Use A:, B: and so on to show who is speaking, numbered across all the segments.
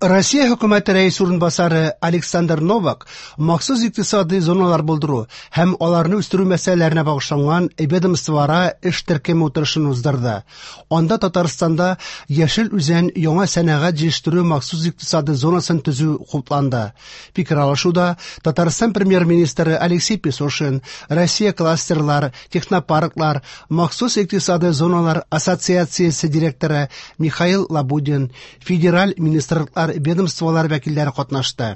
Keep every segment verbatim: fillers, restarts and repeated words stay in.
A: Россия хөкүмәте рәисе урынбасары Александр Новак махсус икътисади зоналар булдыру һәм аларны үстерү мәсьәләләренә багышланган ведомствоара эш төркеме утырышын уздырды. Анда Татарстанда Яшел Үзән яңа сәнәгать җитештерү махсус икътисади зонасын төзү хупланды. Фикер алышуда Татарстан премьер-министры Алексей Песошин, Россия кластерлар, технопарклар, махсус икътисади зоналар ассоциациясе директоры Михаил Лабудин, федераль министрлыклар, ведомстволар вәкилләре катнашты.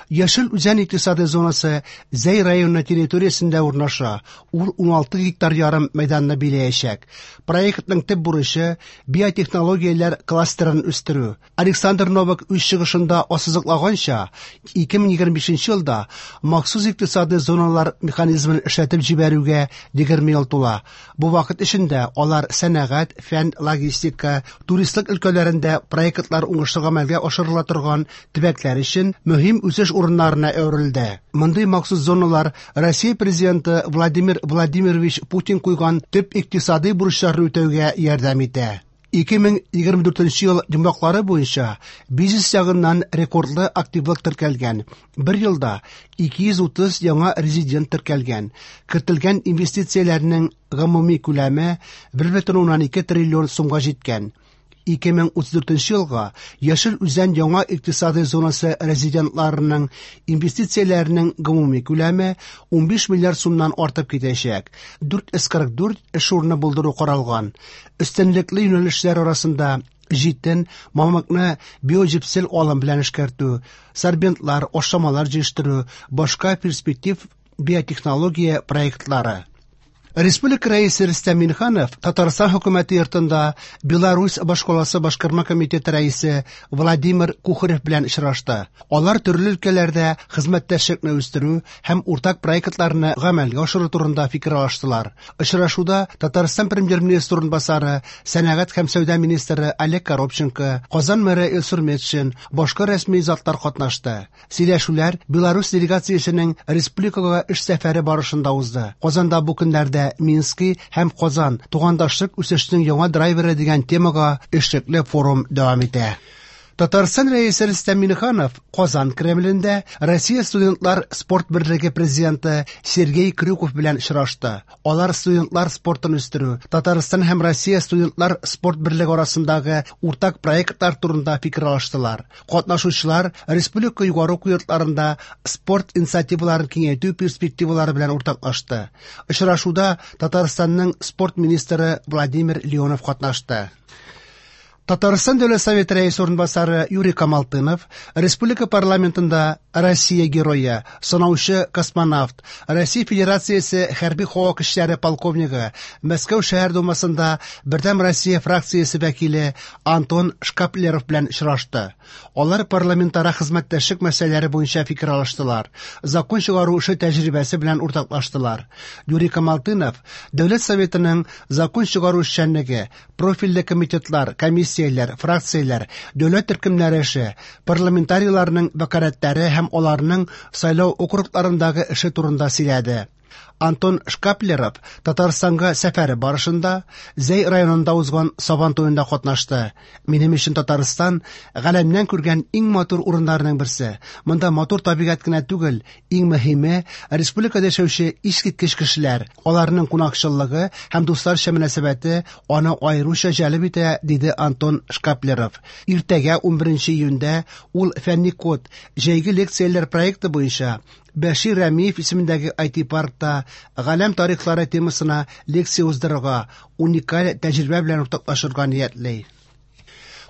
A: Яшел Үзән икътисади зонасы Зәй районы территориясендә урнаша. Ул уналты гектар ярым мәйданны биләячәк. Проектның төп бурычы биотехнологияләр кластерын үстерү. Александр Новак үз чыгышында ассызыклаганча, ике мең егерме бишенче елда махсус икътисади зоналар механизмын эшләтеп җибәрүгә егерме ел тула. Бу вакыт эчендә алар сәнәгать, фән, логистика, туристлык өлкәләрендә проектлар уңышлы гамәлгә ашырыла торган төбәкләр өчен мөһим үсеш урыннарына әверелде. Мондый махсус зоналар Россия президенты Владимир Владимирович Путин куйган төп икътисади бурычларны үтәүгә ярдәм итә. Ике мең егерме дүртенче ел йомгаклары буенча бизнес ягыннан рекордлы активлык теркәлгән. Бер елда ике йөз утыз яңа резидент теркәлгән. Кертелгән инвестицияләрнең гомуми күләме бер бөтен уннан ике триллион сумга җиткән. Ике мең утыз дүртенче елга Яшел Үзән яңа икътисади зонасы резидентларының инвестицияләренең гомуми күләме унбиш миллиард сумнан артып китәчәк. Дүрт йөз кырык дүрт эш урыны булдыру каралган. Өстенлекле юнәлешләр арасында җитен, мамыкны биоҗепсел алым белән эшкәртү, сорбентлар, ашламалар җитештерү, башка перспектив биотехнология проектлары. Республика рәисе Рөстәм Миңнеханов Татарстан хөкүмәте йортында Беларусь башкаласы башкарма комитеты рәисе Владимир Кухарев белән очрашты. Алар төрле өлкәләрдә хезмәттәшлекне үстерү һәм уртак проектларны гамәлгә ашыру турында фикер алыштылар. Очрашуда Татарстан премьер-министры урынбасары, сәнәгать һәм сәүдә министры Олег Коробченко, Казан мэры Илсур Метшин, башка рәсми затлар катнашты. Сөйләшүләр Беларусь делегациясенең республикага эш сәфәре барышында узды. Казанда бу көннәрдә Мински һәм Казан тугандашлык үсешенең яңа драйверы дигән темага эшлекле форум дәвам итә. Татарстан рәисе Рөстәм Миңнеханов Казан Кремлендә Россия студентлар спорт берлеге президенты Сергей Крюков белән очрашты. Алар студентлар спортын үстерү, Татарстан һәм Россия студентлар спорт берлеге арасындагы уртак проектлар турында фикер алыштылар. Катнашучылар республика югары уку йортларында спорт инициативаларын киңәйтү перспективалары белән уртаклашты. Очрашуда Татарстанның спорт министры Владимир Леонов катнашты. Татарстан Дәүләт Советы рәисе урынбасары Юрий Камалтынов республика парламентында Россия герое, сынаучы космонавт, Россия Федерациясе хәрби һава көчләре полковнигы, Мәскәү шәһәр думасында Бердәм Россия фракциясе вәкиле Антон Шкаплеров белән очрашты. Алар парламентара хезмәттәшлек мәсьәләләре буенча фикер алыштылар, закон чыгару эше тәҗрибәсе белән уртаклаштылар. Юрий Камалтынов Дәүләт Советының закон чыгару эшчәнлеге, профильле комитетлар, комиссияләр, фракцияләр, дәүләт төркемнәре эше, парламентарийларның вәкаләтләре һәм аларның сайлау округларындагы эше турында сөйләде. Антон Шкаплеров Татарстанга сәфәре барышында Зәй районында узган Сабан туенда катнашты. Минем өчен Татарстан галәмнән күргән иң матур урыннарның берсе. Монда матур табигать кенә түгел, иң мөһиме республикада яшәүче искиткеч кешеләр, аларның кунакчыллыгы һәм дусларча мөнәсәбәте аны аеруча җәлеп итә, диде Антон Шкаплеров. Иртәгә унберенче июньдә ул Фәнни код җәйге лекцияләр проекты буенча Бәшир Рәмиев исемендәге ай ти-паркта галәм тарихлары темасына лекция уздырырга, уникаль тәҗрибә белән уртаклашырга ниятли.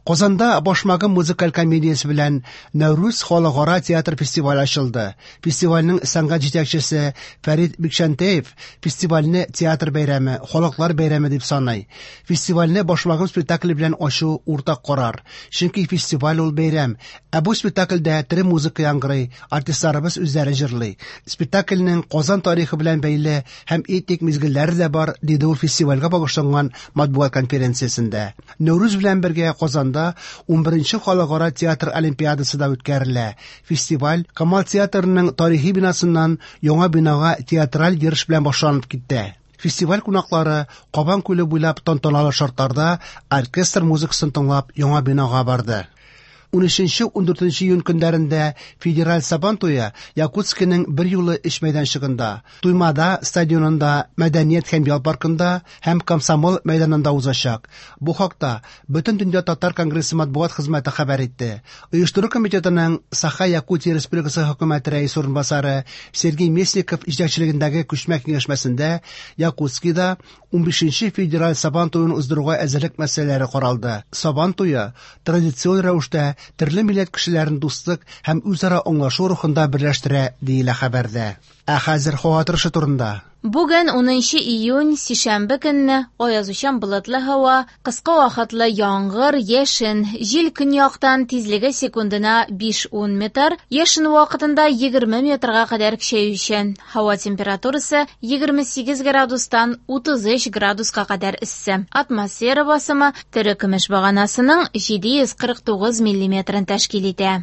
A: Казанда Башмагым музыкаль комедиясе белән Нәүрүз халыкара театр фестивале ачылды. Фестивальнең сәнгать җитәкчесе Фәрит Бикчәнтәев фестивальне театр бәйрәме, халыклар бәйрәме дип саный. Фестивальне Башмагым спектакле белән ачу уртак карар. Чөнки фестиваль ул бәйрәм. Ә бу спектакльдә тере музыка яңгырый, артистларыбыз үзләре җырлый. Спектакльнең Казан тарихы белән бәйле һәм этник мизгелләре дә бар, диде ул фестивальгә багышланган матбугат конференциясендә. Нәүрүз белән бергә Казанда унберенче халыкара театр олимпиадасы да үткәрелә. Фестиваль Камал театрының тарихи бинасыннан яңа бинага театраль йөреш белән башланып китте. Фестиваль кунаклары Кабан күле буйлап тантаналы шартларда оркестр музыкасын тыңлап яңа бинага барды. Унөченче-ундүртенче июнь көннәрендә федераль Сабан туе Якутскиның берьюлы өч мәйданчыгында: Туймаада стадионында, Мәдәният һәм ял паркында һәм Комсомол мәйданында узачак. Бу хакта Бөтендөнья татар конгрессы матбугат хезмәте хәбәр итте. Оештыру комитетының Саха-Якутия Республикасы хөкүмәте рәисе урынбасары Сергей Местников җитәкчелегендәге күчмә киңәшмәсендә Якутскида унбишенче федераль Сабан туен уздыруга әзерлек мәсьәләләре каралды. Сабан туе традицион рәвештә төрле милләт кешеләрен дуслык һәм үзара аңлашу рухында берләштерә, диелә хәбәрдә. Ә хәзер һава торышы турында.
B: Бүген унынчы июнь, сишәмбе көнне аязучан болытлы һава, кыска вакытлы яңгыр, яшен, җил көньяктан тизлеге секундына биш-ун метр, яшен вакытында егерме метрга кадәр көчәючән. Һава температурасы егерме сигез градустан утыз өч градуска кадәр эссе. Атмосфера басымы тере көмеш баганасының җиде йөз кырык тугыз миллиметрын тәшкил итә.